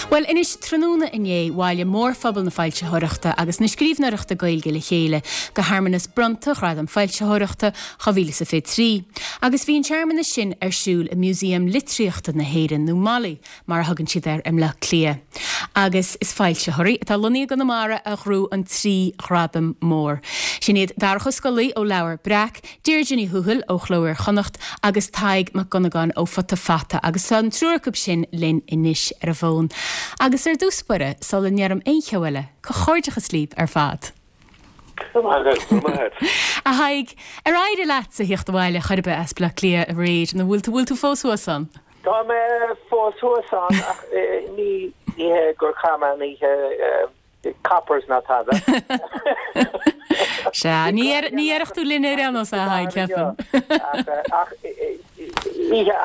Bhuel, anois, tráthnóna inné, bhailigh mórphobal na foilsitheoireachta agus na scríbhneoireachta Gaeilge le chéile go shearmanas bronnta Ghradam Foilsitheoireachta 2023. Agus bhí an searmanas sin ar siúl i Músaem Litríochta na hÉireann, nó MoLI, mar a thugann siad air i mBleá Cliath. Agus is foilsitheoirí atá lonnaithe i gConamara a ghnóthaigh an trí ghradam mór. Sin iad Darach Ó Scolaí ó Leabhar Breac, Deirdre Ní Thuathail ó Chló Iar-Chonnacht agus Tadhg Mac Dhonnagáin ó Futa Fata agus tá an triúr acu sin linn anois ar an bhfón. Agus ar dtús báire, sula ndeirim aon cheo eile, comhghairdeachas libh ar fad. Go raibh maith agat, go raibh maith agat. A Thaidhg, ar éirigh leatsa theacht abhaile chor ar bith as Bleá Cliath aréir nó bhfuil tú, bhfuil tú fós thuas ann? Tá mé fós thuas ann ach ní hé gur chaith mé an oíche Coppers ná tada. Sea, ní dhéarfadh tú linn ar aon nós, a Thaidhg, ceapaim. Ach oíche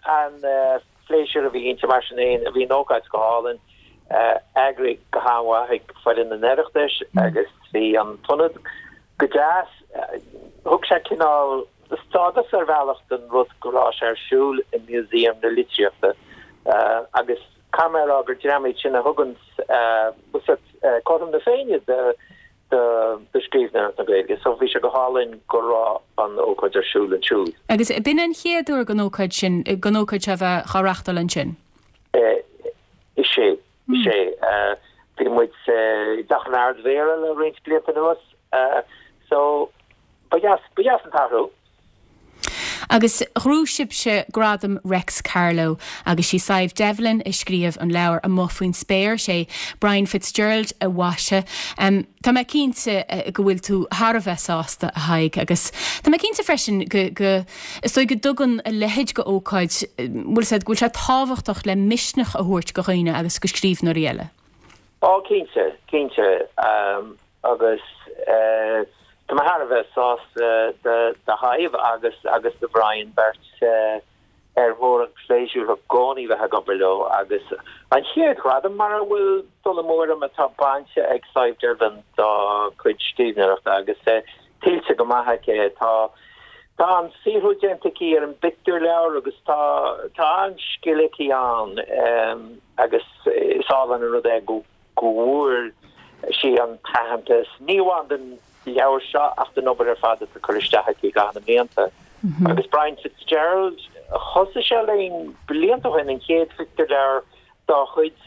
an-phléisiúr a bhí inti mar sin féin, bhí an ócáid go hálainn, eagraithe go han-mhaith ag foireann an Oireachtais agus bhí an t-ionad go deas. Thug sé cineál stádas ar bhealach don rud go raibh sé ar siúl i Museum na Litríochta agus Caithfidh mé a rá gur dream iad sin a thugann cothrom na Féinne do scríbhneoireacht na Gaeilge so bhí sé go hálainn go raibh an ócáid ar siúl ansiúd. Agus b'in an chéad uair don ócáid sin, don ócáid seo a bheith á reachtáil ansin? Is ea, is ea. Bhí muid i dTeach an Ardmhéara le roinnt blianta anuas so ba dheas, ba dheas an t-athrú. Agus ghnóthaigh sibhse Gradam Reics Carló agus sí Sadhbh Devlin a scríobh an leabhar Amuigh Faoin Spéir, sé Brian Fitzgerald a mhaisigh. Tá mé cinnte go bhfuil tú thar a bheith sásta, a Thaidhg, agus tá mé cinnte freisin go, go, is dóigh go dtugann a leithéid de ócáid, bhfuil 'fhios a'd, go bhfuil sé tábhachtach le misneach a thabhairt go dhaoine agus go scríbhneoirí eile. Á, cinnte, cinnte. Agus tá mé thar a bheith sásta do Shadhbh agus agus do Bhrian, beirt ar mhór an pléisiúr i gcónaí bheith ag obair leo. Agus an chéad ghradam, mura bhfuil dul amú orm, atá bainte ag Sadhbh Devlin dá cuid scríbhneoireachta agus tuillte go maith aici. Tá tá an-saothrú déanta aici ar an bpictiúrleabhar agus tá tá an-scil aici ann agus is álainn an rud é go go bhfuair sí an t-aitheantas, ní amháin don leabhar seo ach don obair ar fad atá curtha isteach aici i gcaitheamh na mblianta. Agus Brian Fitzgerald, thosaigh sé linn blianta ó shin, an chéad phictiúrleabhar dá chuid,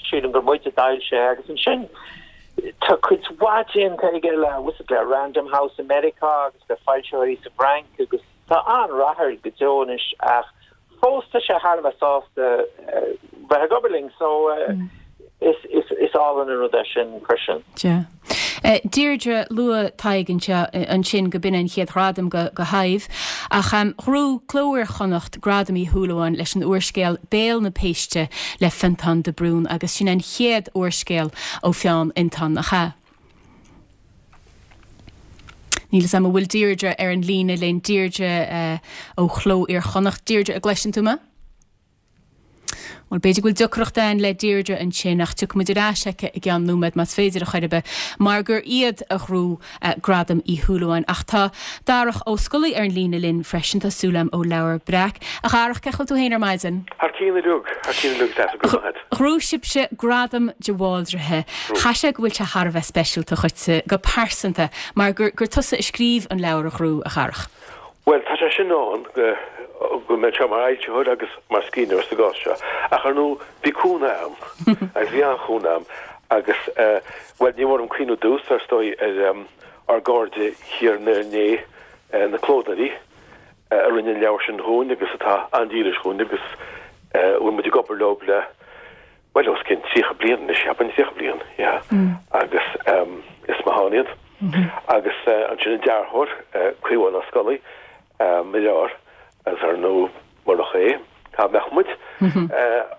sílim gur muid a d'fhoilsigh é, agus ansin tá cuid mhaith déanta aige le, le Random House i Meiriceá agus le foilsitheoirí sa bhFrainc agus tá an-rath air go deo anois ach Fós tá sé thar a bheith sásta bheith ag obair linn so is álainn an rud é sin freisin. Sea. Deirdre, luaigh Tadhg anseo ansin go b'in an chéad ghradam go go Shadhbh ach ghnóthaigh Cló Iar-Chonnacht Gradam Uí Shúilleabháin leis an úrscéal Béal na Péiste le Fionntán de Brún agus sin an chéad úrscéal ó pheann Fhionntán, nach ea? Níl 'fhios a'm an bhfuil Deirdre ar an líne linn. Deirdre ó Chló Iar-Chonnacht. Deirdre, an gcloiseann tú mé? Bhuel, b'fhéidir go bhfuil deacracht ann le Deirdre ansin, ach tiocfaidh muid ar ais aici i gceann nóiméad, más féidir a chor ar bith, mar gur iad a ghnóthaigh Gradam Uí Shúilleabháin. Ach tá Darach Ó Scolaí ar an líne linn freisin, tá súil a'm, ó Leabhar Breac. A Dharach, cén chaoi a bhfuil tú féin ar maidin? Thar cionn uilig, thar cionn uilig, go raibh maith agat. Ghnóthaigh sibhse Gradam de Bhaldraithe. Chaithfeadh sé go bhfuil sé thar a bheith speisialta dhuitse go pearsanta mar gur gur tusa a scríobh an leabhar a ghnóthaigh, a Dharach. Bhuel, tá sé sin ann, go bhfuil mé anseo mar fhoilsitheoir agus mar scríbhneoir sa gcás seo. Ach ar ndóigh, bhí cúnamh agam, agus bhí an-chúnamh agam. Agus, bhuel, ní mór dom cuimhniú ar dtús, ar ndóigh, ar ár gcairde thiar in Éirinn, na clódóirí, a rinne an leabhar sin dhúinn agus atá an-dílis dhúinn agus a bhfuil muid ag obair leo le, bhuel, os cionn 30 bliain anois, cheapfainn, 30 bliain, yeah. Agus is maith ann iad. Agus ansin an dearthóir, Caomhán Ó Scolaí, mo dheartháir, agus ar ndóigh, murach é, cá mbeadh muid?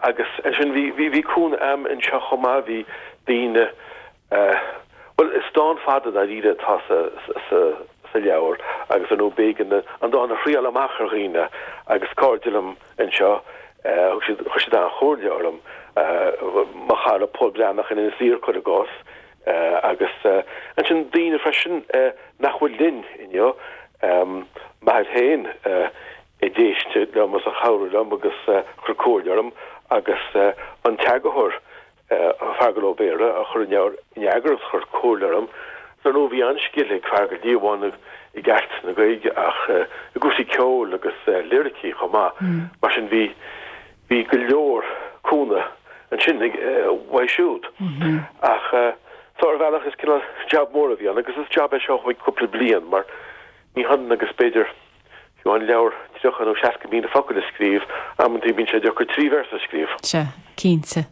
Agus ansin bhí, bhí, bhí cúnamh a'm anseo chomh maith, bhí daoine, Bhuel, is dán fada dáiríre atá sa leabhar agus ar ndóigh b'éigean an dán a thriáil amach ar dhaoine agus cairde liom anseo, thug siad, chuir siad an-chomhairle orm, mo chara Pól Breathnach in Inis Oírr, cuir i gcás, agus ansin daoine freisin nach bhfuil linn inniu, m'athair féin. A d'éist liom agus a chabhraigh liom agus a chuir comhairle orm agus an t-eagarthóir, Feargal Ó Béarra, a chuir an leabhar in eagar agus a chuir comhairle orm. Ar ndóigh bhí an-scil ag Feargal, ní amháin i gceart na Gaeilge ach i gcúrsaí ceoil agus liricí chomh maith. Mar sin bhí bhí go leor cúnamh ansin uaidh siúd. Ach so ar bhealach is cineál jab mór a bhí ann agus is jab é seo a thóg cúpla bliain mar ní hionann agus b'fhéidir Fiú amháin leabhar 30 nó 60,000 focal a scríobh, amantaí bíonn sé deacair 3 véarsa a scríobh. Sea, cinnte.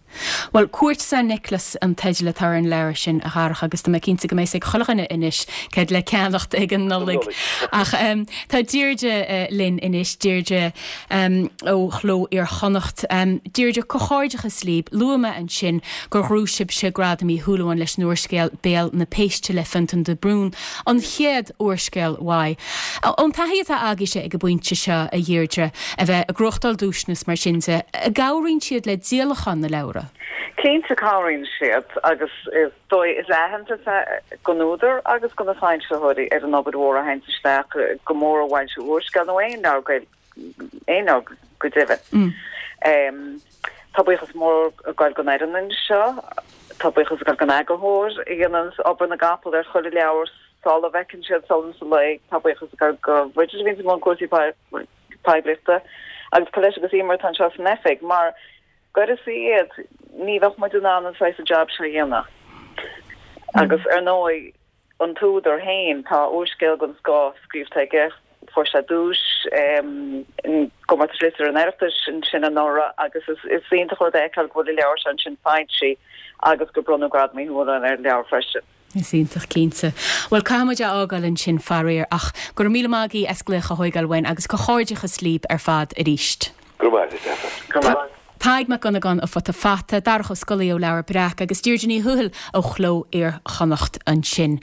Bhuel, Cuairt San Nioclás an teideal atá ar an leabhar sin, a Dharach, agus tá mé cinnte go mbeidh a fhios ag chuile dhuine anois céard le ceannacht ag an Nollaig. Ach tá Deirdre linn anois, Deirdre ó Chló Iar-Chonnacht. Deirdre, comhghairdeachas libh. Luaigh mé ansin gur ghnóthaigh sibhse Gradam Uí Shúilleabháin leis an úrscéal Béal na Péiste le Fionntán de Brún, an chéad úrscéal uaidh. Ón taithí atá agaibhse ag an bpointe seo, a Dheirdre, a bheith ag gnóthachtáil duaiseanna is mar sin de, an gcabhraíonn siad le díolachán na leabhra? Cinnte cabhraíonn siad agus is dóigh, is aitheantas é don údar agus do na foilsitheoirí ar an obair mhór a théanns isteach, go mór i bhfoilsiú úrscéal nó aon leabhar Gaeilge, aon leabhar go deimhin. Tá buíochas mór ag goil don fhoireann anseo, tá buíochas ag goil don eagarthóir a dhéananns obair na gcapall ar chuile leabhar sula bhfeiceann siad solas an lae, tá buíochas ag goil do Bhridget a bhíonns i mbun cúrsaí poiblíochta agus Colette agus Emer atá anseo san oifig mar d'uireasa iad ní bheadh muid in ann an saghas jab seo a dhéanamh. Agus ar ndóigh an t-údar féin, tá úrscéal den scoth scríobhta aige, fuair sé duais i gcomórtas liteartha an Oireachtais ansin anuraidh agus is iontach rud é a fheiceáil go bhfuil an leabhar seo ansin foilsithe agus gur bronnadh Gradam Uí Shúilleabháin ar an leabhar freisin. Is iontach, cinnte. Bhuel, caithfidh muid é a fhágáil ansin, faraor, ach go raibh míle maith agaibh as glaoch a thóigeáil uainn agus comhghairdeachas libh ar fad arís. Go raibh maith agat, Go raibh maith. Tadhg Mac Dhonnagáin ó Futa Fata, Darach Ó Scolaí ó Leabhar Breac agus Deirdre Ní Thuathail ó Chló Iar-Chonnacht ansin.